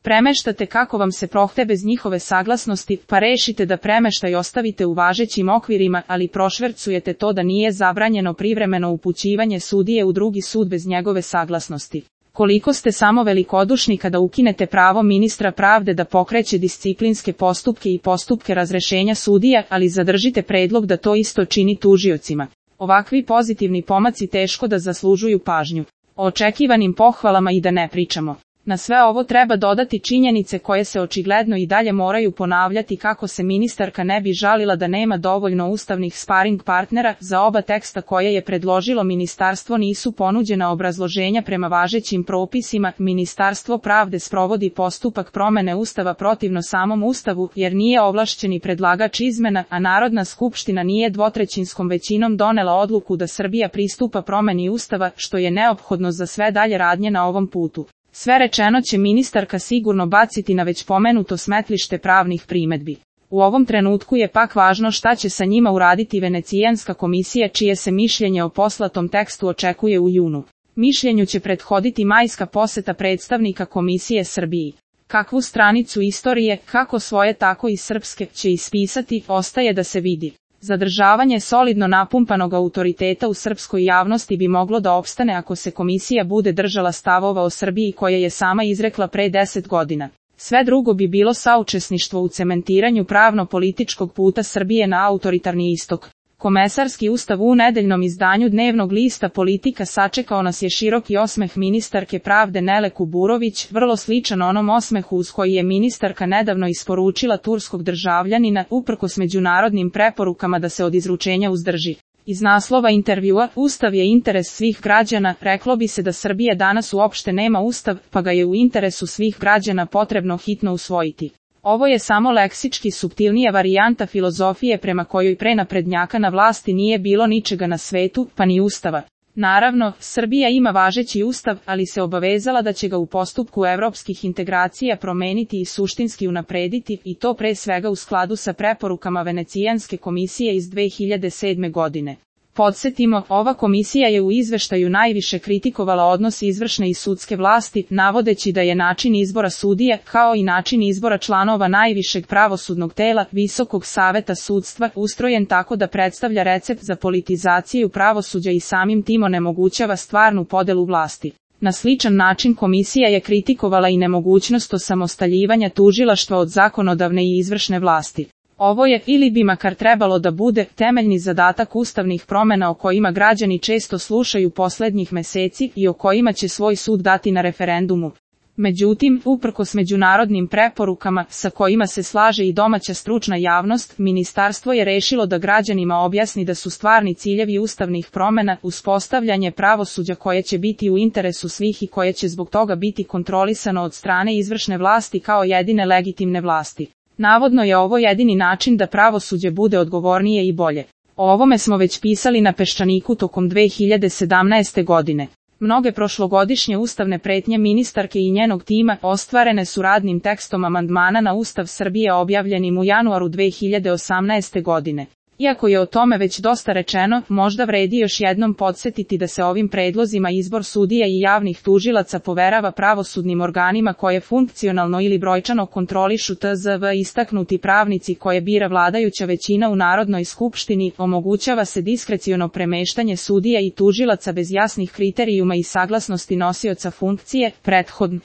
Premeštate kako vam se prohte bez njihove saglasnosti, pa rešite da premeštaj ostavite u važećim okvirima, ali prošvercujete to da nije zabranjeno privremeno upućivanje sudije u drugi sud bez njegove saglasnosti. Koliko ste samo velikodušni kada ukinete pravo ministra pravde da pokreće disciplinske postupke i postupke razrešenja sudija, ali zadržite predlog da to isto čini tužiocima. Ovakvi pozitivni pomaci teško da zaslužuju pažnju. O očekivanim pohvalama i da ne pričamo. Na sve ovo treba dodati činjenice koje se očigledno i dalje moraju ponavljati kako se ministarka ne bi žalila da nema dovoljno ustavnih sparing partnera. Za oba teksta koje je predložilo ministarstvo nisu ponuđena obrazloženja prema važećim propisima. Ministarstvo pravde sprovodi postupak promene ustava protivno samom ustavu jer nije ovlašćeni predlagač izmena, a Narodna skupština nije dvotrećinskom većinom donela odluku da Srbija pristupa promeni ustava, što je neophodno za sve dalje radnje na ovom putu. Sve rečeno će ministarka sigurno baciti na već pomenuto smetlište pravnih primedbi. U ovom trenutku je pak važno šta će sa njima uraditi Venecijanska komisija čije se mišljenje o poslatom tekstu očekuje u junu. Mišljenju će prethoditi majska poseta predstavnika komisije Srbiji. Kakvu stranicu istorije, kako svoje tako i srpske, će ispisati, ostaje da se vidi. Zadržavanje solidno napumpanog autoriteta u srpskoj javnosti bi moglo da opstane ako se komisija bude držala stavova o Srbiji koje je sama izrekla pre 10 godina. Sve drugo bi bilo saučesništvo u cementiranju pravno-političkog puta Srbije na autoritarni istok. Komesarski ustav u nedeljnom izdanju dnevnog lista Politika sačekao nas je široki osmeh ministarke pravde Nele Kuburović, vrlo sličan onom osmehu uz koji je ministarka nedavno isporučila turskog državljanina, uprkos međunarodnim preporukama da se od izručenja uzdrži. Iz naslova intervjua, Ustav je interes svih građana, reklo bi se da Srbija danas uopšte nema ustav, pa ga je u interesu svih građana potrebno hitno usvojiti. Ovo je samo leksički suptilnija varijanta filozofije prema kojoj pre naprednjaka na vlasti nije bilo ničega na svetu, pa ni ustava. Naravno, Srbija ima važeći ustav, ali se obavezala da će ga u postupku evropskih integracija promeniti i suštinski unaprediti, i to pre svega u skladu sa preporukama Venecijanske komisije iz 2007. godine. Podsjetimo, ova komisija je u izveštaju najviše kritikovala odnos izvršne i sudske vlasti, navodeći da je način izbora sudija, kao i način izbora članova najvišeg pravosudnog tela, Visokog saveta sudstva, ustrojen tako da predstavlja recept za politizaciju pravosuđa i samim tim onemogućava stvarnu podelu vlasti. Na sličan način komisija je kritikovala i nemogućnost osamostaljivanja tužilaštva od zakonodavne i izvršne vlasti. Ovo je, ili bi makar trebalo da bude, temeljni zadatak ustavnih promena o kojima građani često slušaju poslednjih meseci i o kojima će svoj sud dati na referendumu. Međutim, uprkos međunarodnim preporukama, sa kojima se slaže i domaća stručna javnost, ministarstvo je rešilo da građanima objasni da su stvarni ciljevi ustavnih promena uspostavljanje pravosuđa koje će biti u interesu svih i koje će zbog toga biti kontrolisano od strane izvršne vlasti kao jedine legitimne vlasti. Navodno je ovo jedini način da pravosuđe bude odgovornije i bolje. O ovome smo već pisali na Peščaniku tokom 2017. godine. Mnoge prošlogodišnje ustavne pretnje ministarke i njenog tima ostvarene su radnim tekstom amandmana na Ustav Srbije objavljenim u januaru 2018. godine. Iako je o tome već dosta rečeno, možda vredi još jednom podsjetiti da se ovim predlozima izbor sudija i javnih tužilaca poverava pravosudnim organima koje funkcionalno ili brojčano kontrolišu TZV. Istaknuti pravnici koje bira vladajuća većina u Narodnoj skupštini, omogućava se diskreciono premeštanje sudija i tužilaca bez jasnih kriterijuma i saglasnosti nosioca funkcije, prethodno.